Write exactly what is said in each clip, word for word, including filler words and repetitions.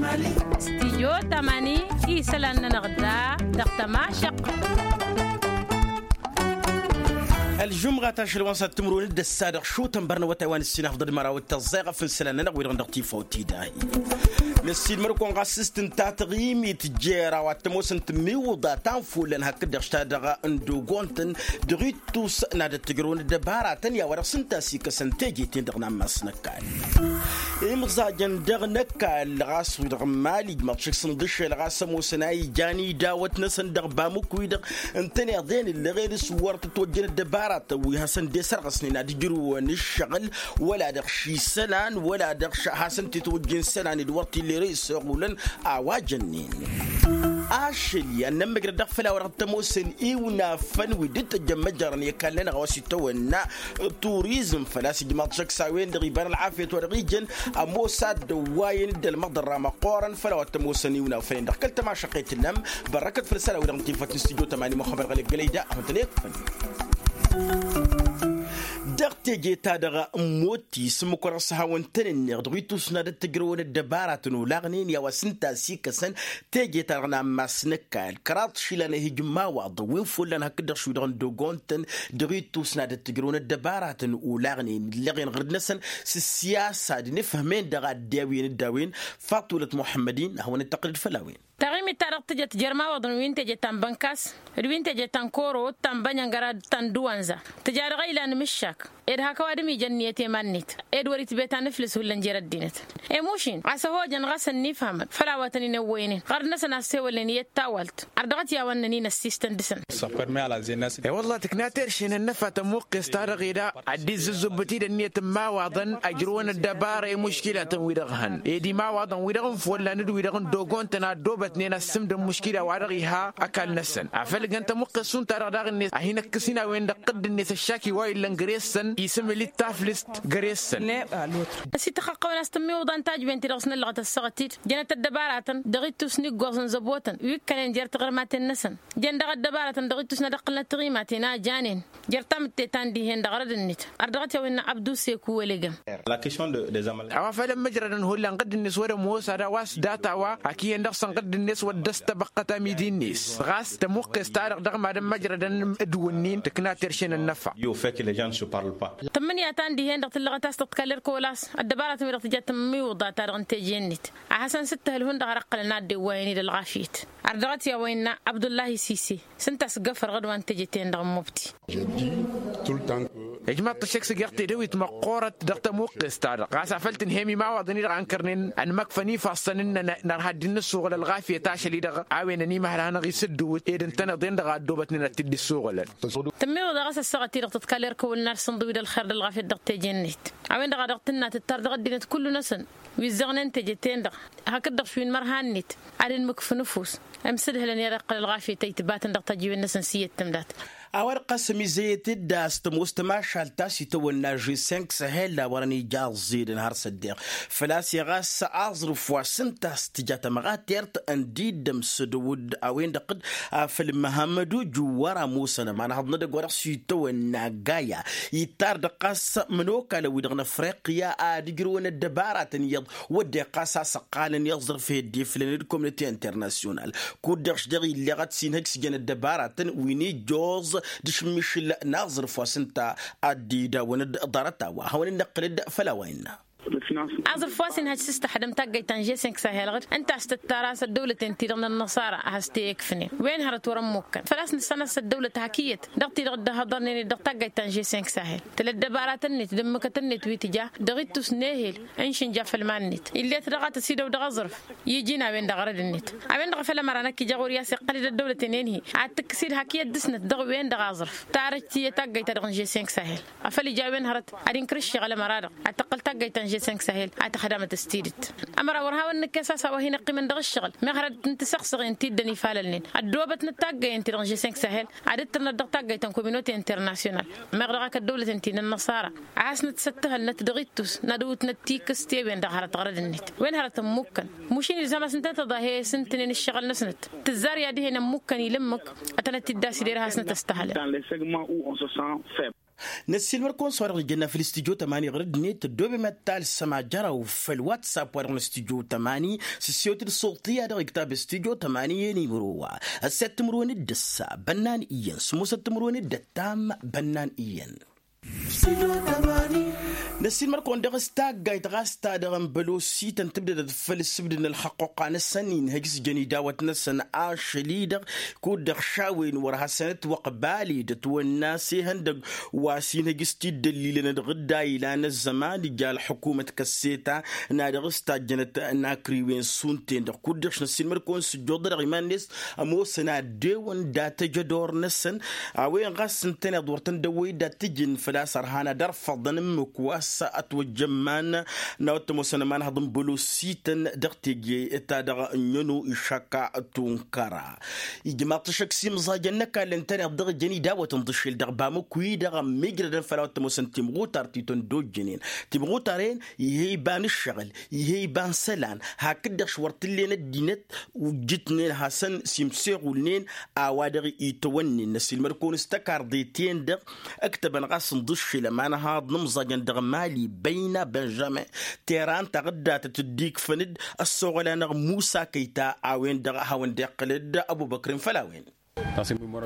Stijyo tamani isălan-nănăɣ da dăɣ-tămašăq. Ălžumɣa tašăl wa n-săr timǝrwen d-ăssadăɣ šutăn bărnăwătay wa n-ǝssin afḍăl măraw d-tăẓẓayɣăf n-isălan-nănăɣ wi-dăɣ dăɣ-tifawt-i dahi. Năssiilmăr-kăwăn ɣas s-tǝnta taɣimit jer-a-wa t-ămoosăn tǝmmiwǝḍa ta n-fullan hakd-dăɣ s-ta-dăɣ n-dogontăn dăɣ-ittus n-ad-ăttǝjrăwăn ăddăbaratăn i-a-wa dăɣ-s ǝnta a-s ikăsăn teje-ten-dăɣ n-ammas n-ăkall. Imẓajăn dăɣ-năkall ɣas wi-dăɣ n-imali ǝjmăḍ šik s-inḍǝššel ɣas ămoosăn a ijan idawăt-năsăn dăɣ-bamǝk-wi-dăɣ ǝntăneḍ-en ǝllăɣen s-wăr tăt-ojjăn ăddăbaratăn wi hasăn-dd-esărɣăsnen ad-ǝjrǝwăn ǝššăɣǝl wăla dăɣ-ši isălan wăla dăɣ-š hasăn-t-tojjen isălan d-wăr t-illa ere isoɣulăn. A-wa jănnen ašăl i-ad-nămmăjrăd dăɣ-făll-a-wa dăɣ-t-ămoosăn iwnafăn wi dd-tăjjăn măjrăn i-ăkall-nănăɣ a-wa s-itawănna turizm făl-a-s ijmaḍ šăkk s-a-wen-dăɣ iba n-ălɣafyăt wa dăɣ-ijăn ămoos ad-dd-ăwwayăn d-ălmăḍărra măqqoorăn făll-a-wa t-ămoosăn iwnafăn-en-dăɣ kăl-tămašăqqet tǝllam. Bărrăkăt făll-isălan-wi-dăɣ n-tinfăt n-studyo tămani muxămmăd ɣălek gălăyda a hutăn-ekfăn dăɣ-teje-ta-dăɣ n-motti s-ǝmmǝk-wa-dăɣ s-hawăn-tăn-ǝnneɣ dăɣ-ittus n-ad-ăttăjrăwăn ăddăbaratăn olaɣnen i-a-wa s-ǝnta a-s ikăsăn teje-ta-dăɣ n-ammas n-ăkall kăraḍ išilan ehij n-imawaḍăn wi n-ifullan hakd-dăɣ šwi-dăɣ n-dogontăn dăɣ-ittus n-ad-ăttăjrăwăn ăddăbaratăn olaɣnen ǝllăɣen ɣǝrǝd-năsăn s-ǝssiyasa d-inǝfhămen dăɣ-adde a wi n-dd-a-wen. Faṭulăt muḥămmăd-in ad-hawăn-dd-tăqqǝlăd făll-a-wen. Taɣimit-ta-dăɣ tǝjăt jer-imawaḍăn wi n-teje ta n-bănkas d-wi n-teje ta n-koro d-ta n-bănyăngăra d-ta n-dăwanza tǝja dăɣ-ila n-imǝššak ed hak ăwadǝm ijăn ǝnniyăt i-iman-net ed wăr-itbet anǝflǝs hullan jer-ăddinăt. Emušin a-s ăhojăn ɣas ănnifhamăn făll-a-wa tăn-in-ăwwăynen ɣărd-năsăn a ăssewălnen iyyăt tawalt. Ărdăɣăt i-a-wa ǝnnăn-in ăssistăn dăɣ-săn. E-wălla tǝkna terše n-ănnăfa tămuqqes-ta-dăɣ eda ad-dd-izzǝzzǝbbǝt-dd ănniyăt n-imawaḍăn ăjrǝwăn ăddăbara i-muškilatăn-wi-dăɣ hăn ed imawaḍăn-wi-dăɣ n-follan d-wi-dăɣ n-dogontăn a ăddoobătnen ăssǝmdăn muškila-wa-dăɣ iha ăkall-năsăn afăl ǝjăn tămuqqes šund-ta-dăɣ daɣ-net a hin-ăkkǝs-in a-wen-dăɣ ɣǝdd-net ăššaki wa illăn găre-săn isǝmǝl-dd taflǝst găre-săn. Ăsităxăqqăwăn a-s tǝmmiwǝḍan tajben-ti-dăɣ s-năllăɣăt ăssaɣăt-dd jănăt ăddăbaratăn dăɣ-ittus n-iggoẓ n-zăbotăn wi ǝkkănen jer-taɣrǝmaten-năsăn. Jăn dăɣ-ăddăbaratăn dăɣ-ittus n-ad-ǝqqǝlnăt tiɣimaten a janen jer-tamǝtte ta n-dihen dăɣ-rădd-net. Ărdăɣăt i-a-wen n-abdu seku wălegăm. A-wa făl ămmăjrădăn hullan ɣǝdd-net wăr-ămoos ad-a-wa s-data-wa hak iyyăn dăɣ-săn ɣǝdd-net wăr dd-ăstăbăqqăt amidi-net ɣas tămuqqes-ta-dăɣ dăɣ-mad-ămmăjrădăn d-wǝnnin tǝkna terše n-ănnăfa. Tǝmmǝnǝya ta n-dihen-dăɣ tǝllăɣăt a-s tăḍkal erk olas ăddăbaratăn-wi-dăɣ tǝja tǝmmiwǝḍa-ta-dăɣ n-teje-net. A hasăn-sǝttăhǝl hundăɣ har ǝqqǝlăn a dd-ewwayăn-dd ălɣafyăt. Ărdăɣăt i-a-wa innă abdullahi sise s-ǝnta a-s gafărăɣ d-wa n-teje-ten-dăɣ n-mubti. Ijmaḍ-t ăššăk s-ǝjăɣ tedăwit măqqoorăt dăɣ-tămuqqes-ta-dăɣ ɣas afăl tǝnhăyăm imawaḍăn-i-dăɣ a ǝnkărnen ănmăkfăn ifassăn-nănăɣ nărha dd-inǝssuɣǝl ălɣafyăt ašăl-i-dăɣ a-wen ănimăhăl a hanăɣ-isǝddǝwǝt ed ǝntăneḍ-en-dăɣ a ăddoobătnen ad-t-dd-issuɣǝlăn. Tǝmmiwǝḍa ɣas ăssaɣăt-i-dăɣ tǝḍkal erk ăwwăl n-ad-sǝnḍǝw-dd ălxer d-ălɣafyăt dăɣ-teje-net. A-wen-dăɣ a dăɣ-tǝnna tǝttar dăɣ-ăddinăt kullu-năsăn wi ǝzzăɣnen teje-ten-dăɣ hakd-dăɣ šwi n-imărha-net ad-inmǝkf ǝnǝfus. Ǝmsǝdhǝlăn i-ad-iqqăl ălɣafyăt a itbatăn dăɣ-tăjjiwen-năsăn s-iyyăt tǝmdat. A-wa-dăɣ ɣas ămizăyăt-dd a-s tămoos tămašalt ta s-itawănna žessenk săhel a wărăn ija ăẓẓedăn har s-ăddeɣ făl-a-s iɣas aẓrǝf wa s-ǝnta a-s tǝja tămɣatert ǝndi dd-ămsădăw-dd a-wen-dăɣ d-afăl măhămmădu juwwăr ămoosăn ămanhăḍ n-edăgg wa dăɣ-s itawănna gaya. Ittar-dăɣ ɣas mănokalăn-wi-dăɣ n-afriqya ad-ǝjrǝwăn ăddăbaratăn iyyăḍ wădden ɣas a-s ăqqalăn i-aẓrǝf i-ăddeflăn d-komnăte internasyonal. Kud-dăɣ š-dăɣ illeɣăt s-inhăj s-ijăn ăddăbaratăn wi n-ijjoẓ d-ašǝmmišǝl n-aẓrǝf wa s-ǝnta ad-dd-idawăn d-ḍarăt-a-wa hawăn-in-nǝqqǝlăd făll-a-wa innă. Aẓrǝf wa s-inhăj s-tăxdăm taggăyt ta n-žessenk sahel ɣǝd ǝnta a-s tǝttar a-s ăddăwlăten-ti-dăɣ n-ănnăṣara a has-t-e-ikfǝnen wen hărăt wăr-ămmukkăn făl-a-s nǝssan a-s ăddăwlăt hak iyyăt dăɣ-ti-dăɣ dd-ăhhăḍărnen-dd dăɣ-taggăyt ta n-žessenk sahel. Tăla ăddăbaratăn-net d-ǝmmǝkăt-net wi tǝja dăɣ-ittus n-ehel ǝnšǝnja făll-iman-net ill'-et dăɣ-a tăsidăw dăɣ-aẓrǝf. Iji n-a-wen-dăɣ ɣărăd-net a-wen-dăɣ a făl ămăra năkk ija ɣur-i a-s iqqăl-dd ăddăwlăten enhi ad-tǝkkǝs-dd hak iyyăt dăɣ-snăt dăɣ-wen-dăɣ aẓrǝf. Tarăjt iyyăt taggăyt-ta-dăɣ n-žessenk sahel. Afăl ija a-wen hărăt ad-inkăr ǝššăɣǝl ămăra-dăɣ ad-tăqqǝl taggăyt ta n-žessenk sahel ad-tăxdamăt s-tidǝt. Ămăra wăr hawăn-nǝkkes a-s a-wa hin-ăqqimăn dăɣ-ǝššăɣǝl meɣ hărăt n-tisăɣsăɣen ti dd-ănifalălnen ăddoobătnăt taggăyen-ti-dăɣ n-žessenk sahel ad-dd-tǝrnăt dăɣ-taggăyt ta n-kominote internasyonal. Meɣ dăɣ-ak ăddăwlăten-ti n-ănnăṣara ad-hasnăt-săttăhălnăt dăɣ-ittus n-ad-ǝwwǝtnăt tikǝst i-wen-dăɣ hărăt ɣărăd-net wen hărăt ǝmmukkăn. Mušin ilzam-asǝntăn tăḍahe s-ǝntǝnen ǝššăɣǝl-năsnăt tǝzzar i-ad-ih'-en ămmukkăn ilǝmmǝk. Ad-tănăt-dd-asidere ad-hasnăt-ăstăhălăn. Năssiilmăr-kăwăn s-wa-dăɣ ijănna făll-studyo tămani ɣur-ăddinăt ăddoobem ad-talsăm ajăraw făll-whatsapp wa-dăɣ n-studyo tămani s-ǝssewăt d-suḍt i-ad-dăɣ iktăb studyo tămani i-nimăro wa. Ăssiyăt timǝrwen d-ǝssa bănnan iyyăn s-ămoosăt timǝrwen d-ăttam bănnan iyyăn. Năssiilmăr-kăwăn dăɣ-s taggayt ɣas ta-dăɣ n-bălosităn tǝbdădăt făll-ǝssǝbdǝd n-ălxăqquqa-năsăn inhăj s-jăn idawăt-năsăn ašăl-i-dăɣ kud-dăɣ šawen wăr hasăn-ătwăqbal-dd ătwănna s-ehăndăg wa s-inhăj s-tiddăllilăn dăɣ-dd-a ilan ăzzăman ija ălḥukumăt kăsseta n-ad-dăɣ-s tajjănăt n-akriwen šund-ten-dăɣ kud-dăɣ šnăssiilmăr-kăwăn s-ǝjjuḍ-dăɣ iman-net ămoosăn ad-dewăn dat-ăjădor-năsăn a-wen ɣas ǝntăneḍ wăr tăn-dăwwăy-dd ad-t-ǝjǝn făl-a-s ărhan ad-ărfăḍăn ǝmmǝk wa s-ătwăjjămman n-a-wa t-ămoosăn ămanhăḍ n-bălosităn dăɣ-teje ta dăɣ-ănnăno išăkka tunkăra. Ijmaḍ-t ăššăk s-imẓajăn n-ăkall ǝntăneḍ dăɣ-ijăn idawătăn d-ašel dăɣ-bamǝk wi-dăɣ ămmiijrădăn făll-a-wa t-ămoosăn timɣutar ti tăn-dd-ojjănen timɣutar-en. Ih'-e iba n-ǝššăɣǝl ih'-e iba n-isălan hakd-dăɣ š-wăr t-ǝllen ăddinăt ujǝtnen hasăn s-imseɣulnen a-wa dăɣ-itwănnen năsilmăd-kăwăn s-tăkarḍe-ten-dăɣ. Ǝktăbăn ɣas n-dd-ašel ămanhaḍ n-imẓajăn dăɣ-mali băyna benžamin teran taɣǝddatăt dd-ikfăn-dd ăssoɣăl-anăɣ musa kăyta a-wen-dăɣ a hawăn-dd-iqqǝl-dd ăbubăkr-in făll-a-wen.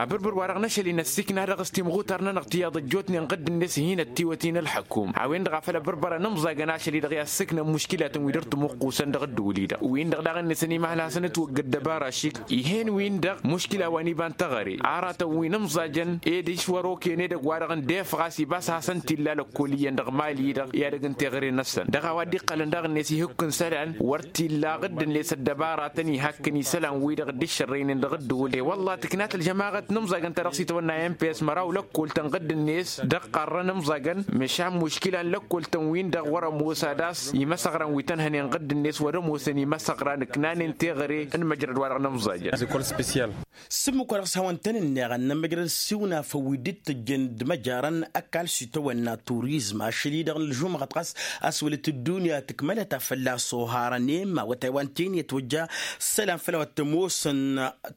Abǝrbǝr-wa-dăɣ n-ašăl-in ăssiikna dăɣ-s timɣutar-nănăɣ tiyyăḍ ăjjootnen ɣǝdd-net hin-ăttiwăt-in ălḥăkum a-wen-dăɣ a făl ăbărbărăn ǝmẓajăn ašăl-i-dăɣ i-assǝknăn muškilatăn wi dăr-tǝmuqqusăn dăɣ-ăddǝwǝl-i-dăɣ win-dăɣ daɣ-net ănimăhăl hasăn-ǝtwăgg ăddăbara ašik ih'-en-win-dăɣ muškila wa n-iba n-teɣăre aratăn wi n-ǝmẓajăn ed išwăr oken edăgg-wa-dăɣ ǝndefăɣ a-s iba a-s hasăn-t-illa lăkkol iyyăn dăɣ-mali-dăɣ i-ad-ăgg n-teɣăre-năsăn dăɣ-a-wa dd-iqqălăn daɣ-net ihǝkk n-isălan wăr t-illa ɣǝdd-net ăddăbaratăn ihakkăn isălan-wi-dăɣ dd-iššărrăynen dăɣ-ăddǝwǝl i-wălla tǝknat ălžămaɣăt n-imẓagăn ta dăɣ-s itawănna n p s măraw lăkkol-tăn ɣǝdd-net dăɣ-iqqarrăn imẓagăn măšan muškila n-lăkkol-tăn-win-dăɣ wăr-ămoos ad-ass imăsăɣran wi tăn-hănen ɣǝdd-net wăr-ămoosăn imăsăɣran ǝknanen teɣăre n-măjrăd-wa-dăɣ n-imẓajăn. S-ǝmmǝk wa dăɣ-s hawăn-tăn-ǝnneɣăn n-ămmăjrăd s-iwǝnafăn wi dd-tǝjjăn d-imăjarăn ăkall s-itawănna turizm ašăl-i-dăɣ n-ălžumɣăt ɣas a-s wălăt ăddunya tǝkmălăt a fălla-s oharăn i-ma awătay wa n-teni ătwăjja ǝssălan făll-a-wa t-ămoosăn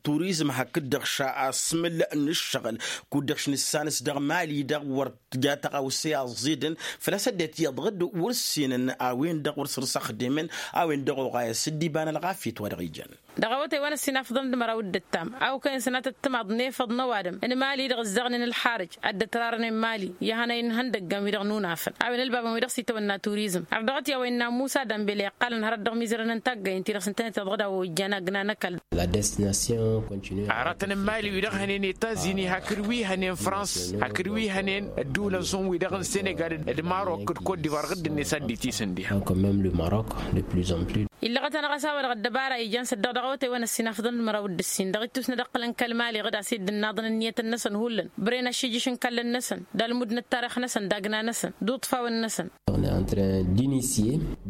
turizm hakd-dăɣ šasmǝl n-ǝššăɣǝl kud-dăɣ š-nǝssan-s dăɣ-mali-dăɣ wăr tǝja tăɣawse aẓidăn făl-a-s ăddinăt iyyăḍ ɣǝdd wăr-ǝssinăn a-wen-dăɣ wăr săr-săxdemăn a-wen-dăɣ oɣayăs dd-iba n-ălɣafyăt wa dăɣ-ijăn. Dăɣ-awătay wa n-ăssinafăḍăn d-măraw d-ǝttam a okăyăn sănatăt timaḍ n-efăḍ n-ăwadǝm n-mali-dăɣ ǝzzaɣnen ălxarǝj ad-dd-ătrarănen mali i-ihănay n-ihăndăggan wi-dăɣ n-unafăn a-wen ălbabăn wi-dăɣ s-itawănna turizm ărdăɣăt i-a-wa innă musa dambele iqqalăn hărăt dăɣ-imizărăn n-taggayăn-ti-dăɣ s-ǝntănet iḍăɣ-dd a-wa ojjan agna n-ăkall. Aratăn n-mali wi-dăɣ hănen etazini hakd wi hănen frans hakd wi hănen ădduulăn šund wi-dăɣ n-senegal d-marok d-kot divar ɣǝdd-net a dd-itisǝndiha. Illăɣăt-anăɣ a-s a-wa-dăɣ ăddăbara ijan s-ăddăɣ dăɣ-awătay wa n-ăssinafăḍăn d-măraw d-ǝssin dăɣ-ittus n-ad-ǝqqǝlăn kăl-mali ɣǝd a-s dd-ǝnnaḍăn ǝnniyătăn-năsăn hullan bren ašijǝš n-kallăn-năsăn d-almud n-ăttarix-năsăn d-agna-năsăn d-uṭfawăn-năsăn.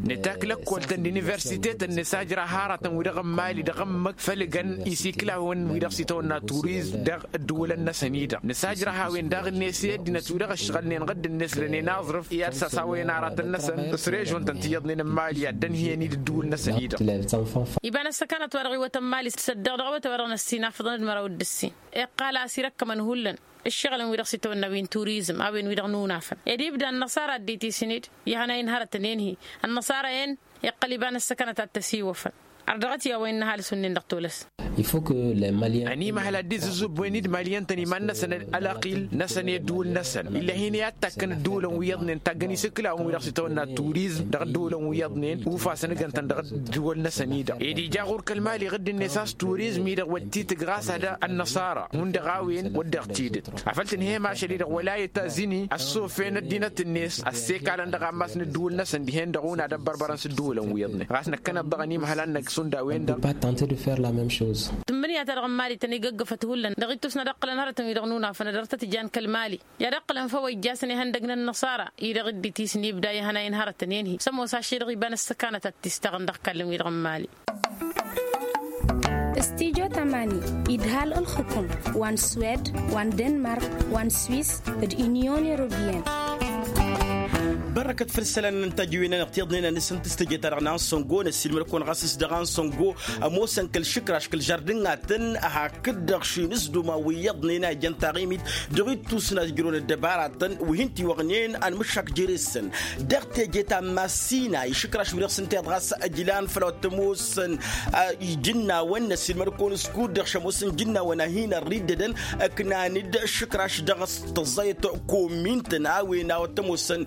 Nǝtak lăkkol-tăn d-universitetăn nǝsajrăh aratăn wi-dăɣ n-mali dăɣ-ǝmmǝk făll-ǝgăn isiklawăn wi-dăɣ s-itawănna turizm dăɣ-ǝddǝwǝlăn-năsăn-i-dăɣ nǝsajrăh a-wen daɣ-net i-ăddinăt wi-dăɣ ǝššăɣǝlnen ɣǝdd-net lănen aẓrǝf i-ad-sasawăyăn aratăn-năsăn s-režon-tăn ti iyyăḍnen n-mali ad-dd-ănhǝyăn-dd ǝddǝwǝl-năsăn-i-dăɣ. Iba n-ăssăkanăt wa dăɣ-iwwătăn mali s-ăddăɣ dăɣ-awătay wa dăɣ-năssinafăḍăn d-măraw d-ǝssin iqqal a-s irăkkămăn hullan ǝššăɣǝlăn wi-dăɣ s-itawănna wi n-turizm a-wen wi-dăɣ n-unafăn ed ibda ănnăṣara ăddinăt isǝned i-ihănay n-hărătăn enhi ănnăṣara-en iqqăl iba n-ăssăkanăt ad-t-ăsiwăfăn. Ărdăɣăt i-a-wa innă ăhalǝs-wǝnnin dăɣ-tolăs. Ănimăhăl ad-dd-izǝzzǝbbăyăn-dd maliyăn-tăn iman-năsăn ălaqil-năsăn i-ăddǝwǝl-năsăn ill'-e hin-i ad-takkăn ăddǝwǝlăn wi iyyăḍnen taggăn isǝklawăn wi-dăɣ s-itawănna turizm dăɣ-ăddǝwǝlăn wi iyyăḍnen ufasăn ǝggăn-tăn dăɣ-ăddǝwǝl-năsăn-i-dăɣ ed ija ɣur-kăl-mali ɣǝdd-net a-s turizm-i-dăɣ wăr t-itǝg ɣas ad-ănnăṣara hundăɣ a-wen wăr dăɣ-tidǝt afăl tǝnhăyăm ašăl-i-dăɣ wăla i-tazini ăssofen ăddinăt-net ăssekalăn dăɣ-ammas n-ǝddǝwǝl-năsăn dihen-dăɣ unad ăbbărbărăn s-ǝddǝwǝlăn wi iyyăḍnen ɣas năkkăneḍ dăɣ-ănimăhăl ad-năgg šund a-wen-dăɣ. Tǝmmǝnǝya-ta-dăɣ n-mali tăn-igǝggǝfăt hullan dăɣ-ittus n-ad-ǝqqǝlăn hărătăn-wi-dăɣ n-unafăn ad-dăr-tăt-ijan kăl-mali i-ad-ǝqqǝlăn făw ăjjaasăn ihăndăg n-ănnăṣara-i-dăɣ dd-itisǝn ibda ihănay n-hărătăn enhi s-ămoos ašăl-i-dăɣ iba n-ăssăkanăt ad-t-istăɣăn dăɣ-kallăn-wi-dăɣ n-mali. Studyo tamani idhal ǝlxǝkǝm wa n-swed wa n-denmark wa n-swis d-inyon europeyăn. Ărrăkăt făll-isălan n-tajǝwen-anăɣ tiḍnen a nǝsǝntǝs teje-ta-dăɣ n-ansăngo năssiilmăd-kăwăn ɣas s-dăɣ ansăngo ămoosăn kăl-išǝkraš kăl-žardǝn-atăn hak-dd-dăɣ šinǝsduma wi iyyăḍnen a ijăn taɣimit dăɣ-ittus n-ajjărăwăn ăddăbaratăn wi hin-tiwăɣnen anmǝššak jere-săn. Dăɣ-teje ta n-massina išǝkraš wi-dăɣ s-ǝnta iyyăḍ ɣas ăjlan făll-a-wa t-ămoosăn ijǝnnawăn năssiilmăd-kăwăn s-kud-dăɣ šămoosăn ijǝnnawăn a hin-ărriddădăn ǝknan-dd išǝkraš dăɣ-s tăẓẓayăt komin-tăn a-wen a-wa t-ămoosăn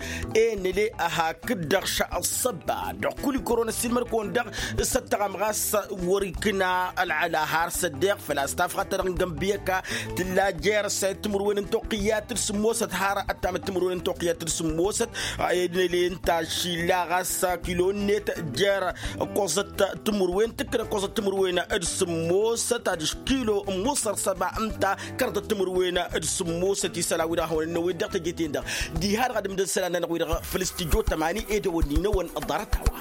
enle hakd-dăɣ šăɣ-ăṣṣăba dăɣ-kul ikoro năssiilmăd-kăwăn-dăɣ s-ăttăɣăm ɣas wăr-ikna ălɣăla har s-ăddeɣ făl-a-s tafɣat-ta-dăɣ n-gănbiyăka tǝlla jer-s a i-timǝrwen n-toqqǝyyat d-sǝmmosăt har ăttamăt timǝrwen n-toqqǝyyat d-sǝmmosăt. Enle ǝnta ašilla ɣas kilo-net jer-ǝkkoẓăt timǝrwen tǝkkǝn ǝkkoẓăt timǝrwen d-sǝmmosăt adiš kilo n-musăr săba ǝnta kărḍăt timǝrwen d-sǝmmosăt isălan-wi-dăɣ a hawăn-ănnăwed dăɣ-teje-ten-dăɣ. Diha-dăɣ ad-ǝmdăn isălan-nănăɣ wi-dăɣ făll-s tijjo tămani edăwănni-năwăn ăḍḍarăt a-wa.